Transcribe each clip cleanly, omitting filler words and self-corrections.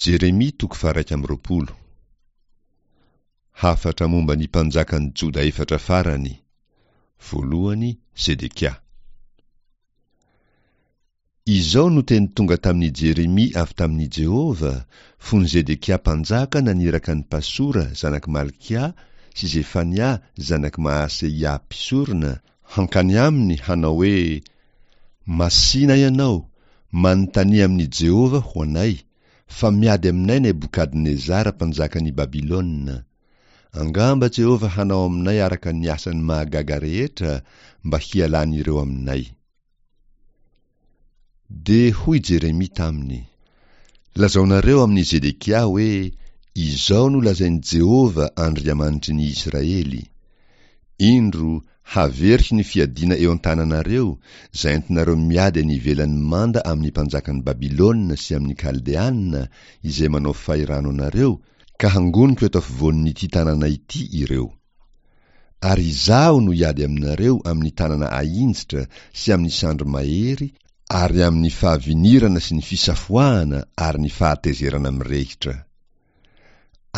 Jeremia toko faha-21. Hafatra momba ny mpanjakan'i Joda efatra farany. Voalohany, Zedekia. Izao no teny tonga tamin'i Jeremia avy tamin'i Jehovah, fony Zedekia mpanjaka naniraka an'i Pasora zanak'i Malkia sy Zefania zanak'i Maaseia mpisorona, hankany aminy hanao hoe, Masìna ianao, manontania amin'i Jehovah ho anay, fa miady aminay Nebokadnezara mpanjakan'i Babylona. Angamba Jehovah hanao aminay araka ny asany mahagaga rehetra mba hialan'ireo aminay. Dia hoy Jeremia taminy, Lazaonareo amin'i Zedekia hoe, Izao no lazain'i Jehovah Andriamanitry ny Israely, Indro, haveriko ny fiadiana eo an-tananareo, izay entinareo miady any ivelan'ny manda amin'ny mpanjakan'i Babylona sy amin'ny Kaldeana izay manao fahirano anareo, ka hangoniko eto afovoan'ity tanàna ity ireo. Ary Izaho no hiady aminareo amin'ny tanana ahinjitra sy amin'ny sandry mahery ary amin'ny fahavinirana sy ny fisafoahana ary ny fahatezerana mirehitra.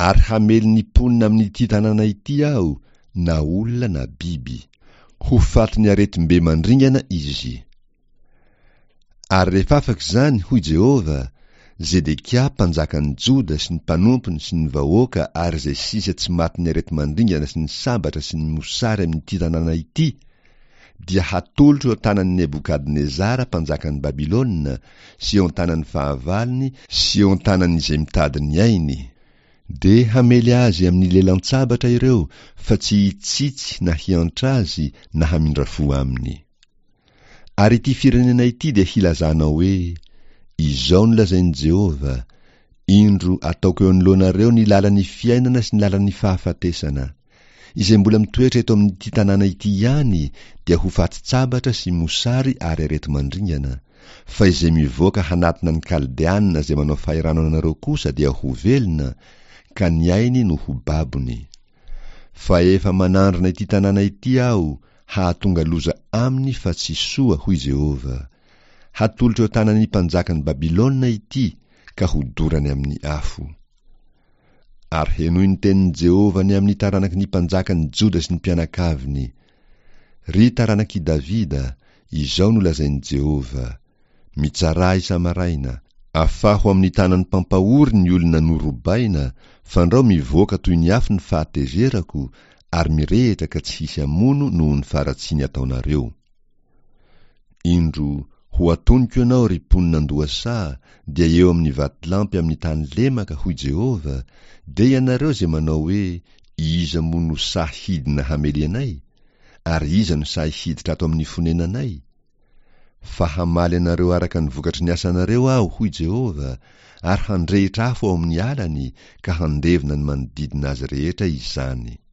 Ary hamely ny mponina amin'ity tanàna ity Aho, na olona na biby. Ho fatin'ny aretim-be mandringana izy. Ary rehefa afaka izany, hoy Jehovah, Zedekia mpanjakan'ny Joda sy ny mpanompony sy ny vahoaka ary izay sisa tsy matin'ny areti-mandringana sy ny sabatra sy ny mosary amin'ity tanàna ity, dia hatolotro eo an-tanan'i Nebokadnezara mpanjakan'i Babylona sy eo an-tanan'ny fahavalony sy eo an-tanan'izay mitady ny ainy. Dia hamely azy amin'ny lelan-tsabatra ireo fa tsy hitsitsy na hiantra azy na hamindra fo aminy. Ary ity firenena ity dia hilazanao hoe, Izao no lazain'i Jehovah, Indro ataoko eo anoloanareo ny lalan'ny fiainana sy ny lalan'ny fahafatesana. Izay mbola mitoetra eto amin'ity tanàna ity ihany dia ho fatin-tsabatra sy mosary ary areti-mandringana, fa izay mivoaka hanatona ny Kaldeana izay manao fahirano anareo kosa dia ho velona, ka ny ainy no ho babony. Fa efa manandrana ity tanàna ity Aho hahatonga loza aminy fa tsy soa, hoy Jehovah. Hatolotro eo an-tanan'ny mpanjakan'i Babylona ity, ka hodorany amin'ny afo. Ary henoy ny tenin'i Jehovah ny amin'ny taranaky ny mpanjakan'i Joda sy ny mpianakaviny. Ry taranak'i Davida, izao no lazain'i Jehovah, Mitsarà isa-maraina, afaho amin'ny tanan'ny mpampahory ny olona norobaina, fandrao mivoaka toy ny afo ny fahatezerako, ary mirehitra ka tsy hisy hamono noho ny faharatsiany ataonareo. Indro, ho atoniko ianao, ry mponina an-dohasaha, dia eo amin'ny vatolampy amin'ny tany lemaka, hoy Jehovah, dia ianareo izay manao hoe, Iza moa no sahy hidina hamely anay? Ary iza no sahy hiditra ato amin'ny fonenanay? Fa hamaly anareo araka ny vokatry ny asanareo Aho, hoy Jehovah, ary handrehitra afo ao amin'ny alany ka handevona ny manodidina azy rehetra izany.